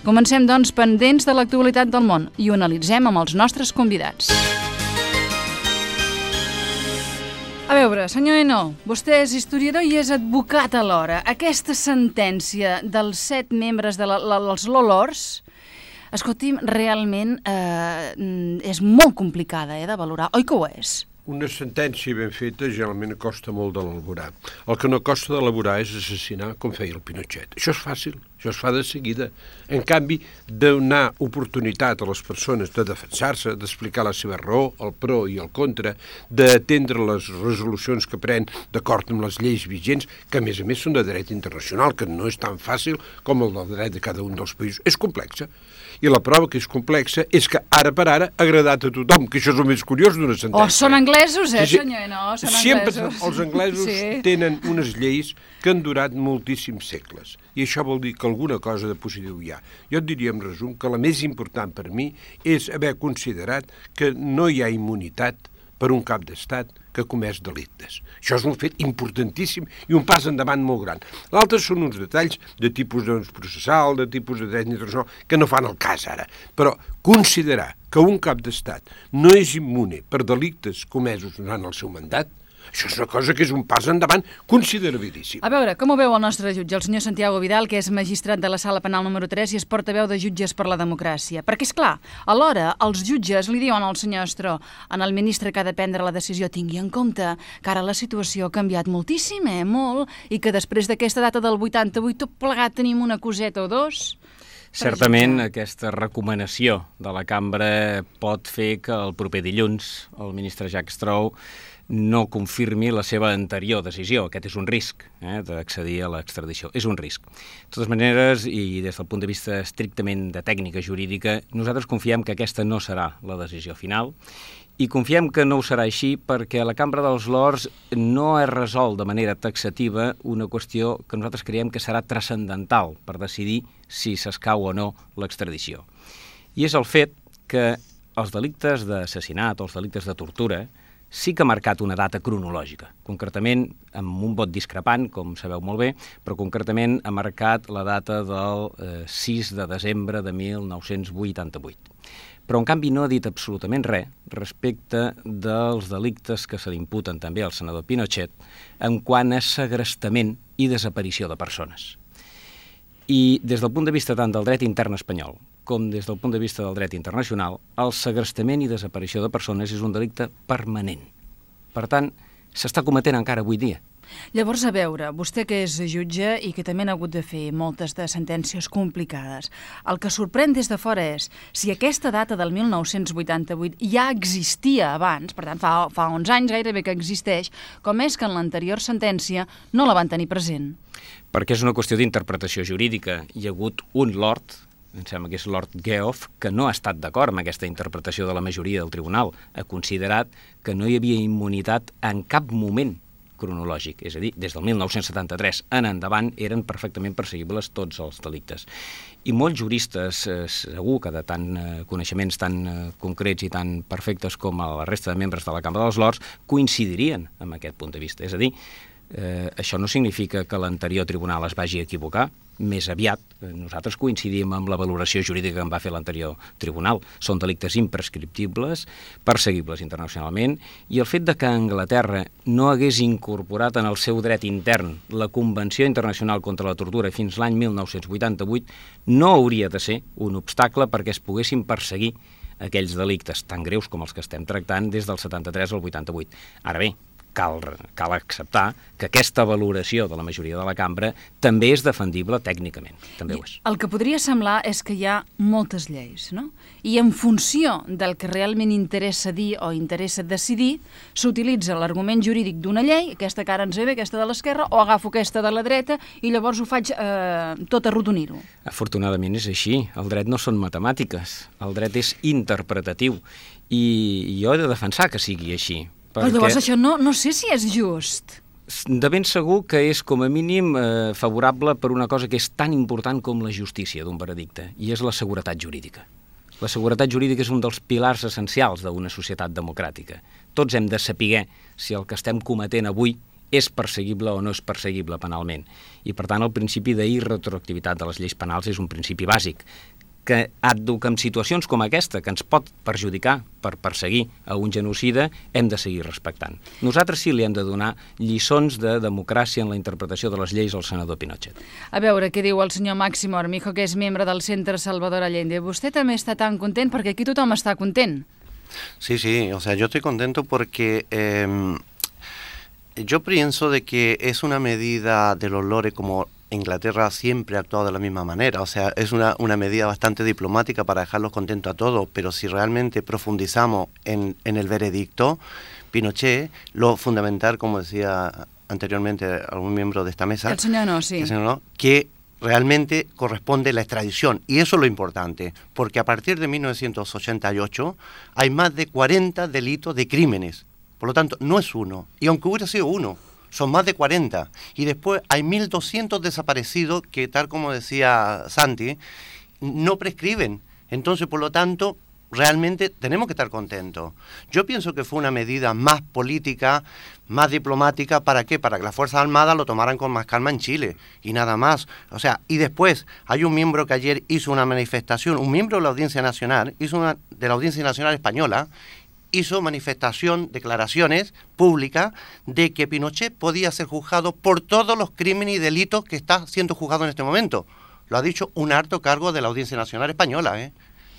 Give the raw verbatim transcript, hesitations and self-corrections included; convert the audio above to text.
Comencem, doncs, pendents de l'actualitat del món i ho analitzem amb els nostres convidats. A veure, senyor Eno, vostè és historiador i és advocat alhora. Aquesta sentència dels set membres dels de Lolors, escolti'm, realment eh, és molt complicada eh, de valorar, oi que ho és? Una sentència ben feta generalment costa molt d'elaborar. El que no costa d'elaborar és assassinar com feia el Pinochet. Això és fàcil, això es fa de seguida. En canvi, donar oportunitat a les persones de defensar-se, d'explicar la seva raó, el pro i el contra, d'atendre les resolucions que pren d'acord amb les lleis vigents, que a més a més són de dret internacional, que no és tan fàcil com el del dret de cada un dels països. És complexa. I la prova que és complexa és que ara per ara ha agradat a tothom, que això és el més curiós d'una sentència. Oh, són anglesos, eh, senyor? No, són Sempre anglesos. Els anglesos sí. tenen unes lleis que han durat moltíssims segles. I això vol dir que alguna cosa de positiu hi ha. Jo et diria, en resum, que la més important per mi és haver considerat que no hi ha immunitat per un cap d'estat que comès delictes. Això és un fet importantíssim i un pas endavant molt gran. L'altre són uns detalls de tipus doncs, processal, de tipus de dret internacional, que no fan el cas ara. Però considerar que un cap d'estat no és immune per delictes comesos durant el seu mandat, això és una cosa que és un pas endavant considerabilíssim. A veure, com ho veu el nostre jutge, el senyor Santiago Vidal, que és magistrat de la Sala Penal número tres i és portaveu de Jutges per la Democràcia? Perquè, és clar, alhora, els jutges li diuen al senyor Estró, en el ministre que ha de prendre la decisió, tingui en compte que ara la situació ha canviat moltíssim, eh, molt, i que després d'aquesta data del vuitanta-vuit tot plegat tenim una coseta o dos. Certament, aquesta recomanació de la cambra pot fer que el proper dilluns el ministre Jack Straw no confirmi la seva anterior decisió. Aquest és un risc, eh, d'accedir a l'extradició. És un risc. De totes maneres, i des del punt de vista estrictament de tècnica jurídica, nosaltres confiem que aquesta no serà la decisió final i confiem que no ho serà així perquè a la Cambra dels Lords no es resol de manera taxativa una qüestió que nosaltres creiem que serà transcendental per decidir si s'escau o no l'extradició. I és el fet que els delictes d'assassinat o els delictes de tortura sí que ha marcat una data cronològica, concretament amb un vot discrepant, com sabeu molt bé, però concretament ha marcat la data del eh, sis de desembre de mil nou-cents vuitanta-vuit. Però, en canvi, no ha dit absolutament res respecte dels delictes que se li imputen també al senador Pinochet en quant a segrestament i desaparició de persones. I des del punt de vista tant del dret intern espanyol com des del punt de vista del dret internacional, el segrestament i desaparició de persones és un delicte permanent. Per tant, s'està cometent encara avui dia. Llavors, a veure, vostè que és jutge i que també n'ha hagut de fer moltes de sentències complicades, el que sorprèn des de fora és si aquesta data del mil nou-cents vuitanta-vuit ja existia abans, per tant, fa, fa onze anys gairebé que existeix, com és que en l'anterior sentència no la van tenir present? Perquè és una qüestió d'interpretació jurídica. Hi ha hagut un lord, em sembla que és Lord Geoff, que no ha estat d'acord amb aquesta interpretació de la majoria del tribunal. Ha considerat que no hi havia immunitat en cap moment cronològic, és a dir, des del mil nou-cents setanta-tres en endavant eren perfectament perseguibles tots els delictes. I molts juristes, eh, segur que de tant eh, coneixements tan eh, concrets i tan perfectes com la resta de membres de la Cambra dels Lords, coincidirien amb aquest punt de vista. És a dir, eh, això no significa que l'anterior tribunal es vagi equivocar, més aviat, nosaltres coincidim amb la valoració jurídica que en va fer l'anterior tribunal. Són delictes imprescriptibles, perseguibles internacionalment, i el fet de que Anglaterra no hagués incorporat en el seu dret intern la Convenció Internacional contra la Tortura fins l'any mil nou-cents vuitanta-vuit no hauria de ser un obstacle perquè es poguessin perseguir aquells delictes tan greus com els que estem tractant des del setanta-tres al vuitanta-vuit. Ara bé, Cal, cal acceptar que aquesta valoració de la majoria de la cambra també és defendible tècnicament. També ho és. El que podria semblar és que hi ha moltes lleis, no? I en funció del que realment interessa dir o interessa decidir, s'utilitza l'argument jurídic d'una llei, aquesta que ara ens ve bé, aquesta de l'esquerra, o agafo aquesta de la dreta i llavors ho faig eh, tot arrodonir-ho. Afortunadament és així. El dret no són matemàtiques. El dret és interpretatiu. I jo he de defensar que sigui així. Però llavors això no, no sé si és just. De ben segur que és com a mínim eh, favorable per una cosa que és tan important com la justícia d'un veredicte, i és la seguretat jurídica. La seguretat jurídica és un dels pilars essencials d'una societat democràtica. Tots hem de saber si el que estem cometent avui és perseguible o no és perseguible penalment. I, per tant, el principi d'irretroactivitat de les lleis penals és un principi bàsic que addu que en situacions com aquesta, que ens pot perjudicar per perseguir a un genocida, hem de seguir respectant. Nosaltres sí li hem de donar lliçons de democràcia en la interpretació de les lleis al senador Pinochet. A veure què diu el senyor Máximo Armijo, que és membre del Centre Salvador Allende. Vostè també està tan content, perquè aquí tothom està content. Sí, sí, o sea, yo estoy contento porque eh, yo pienso de que es una medida de los lores como Inglaterra siempre ha actuado de la misma manera, o sea, es una, una medida bastante diplomática para dejarlos contentos a todos, pero si realmente profundizamos en, en el veredicto, Pinochet, lo fundamental, como decía anteriormente algún miembro de esta mesa, el señor no, sí. el señor no, que realmente corresponde la extradición, y eso es lo importante, porque a partir de mil novecientos ochenta y ocho hay más de cuarenta delitos de crímenes, por lo tanto no es uno, y aunque hubiera sido uno, son más de cuarenta, y después hay mil doscientos desaparecidos que, tal como decía Santi, no prescriben. Entonces, por lo tanto, realmente tenemos que estar contentos. Yo pienso que fue una medida más política, más diplomática. ¿Para qué? Para que las Fuerzas Armadas lo tomaran con más calma en Chile, y nada más. O sea, y después hay un miembro que ayer hizo una manifestación, un miembro de la Audiencia Nacional, hizo una, de la Audiencia Nacional Española, hizo manifestación, declaraciones públicas de que Pinochet podía ser juzgado por todos los crímenes y delitos que está siendo juzgado en este momento. Lo ha dicho un alto cargo de la Audiencia Nacional Española, ¿eh?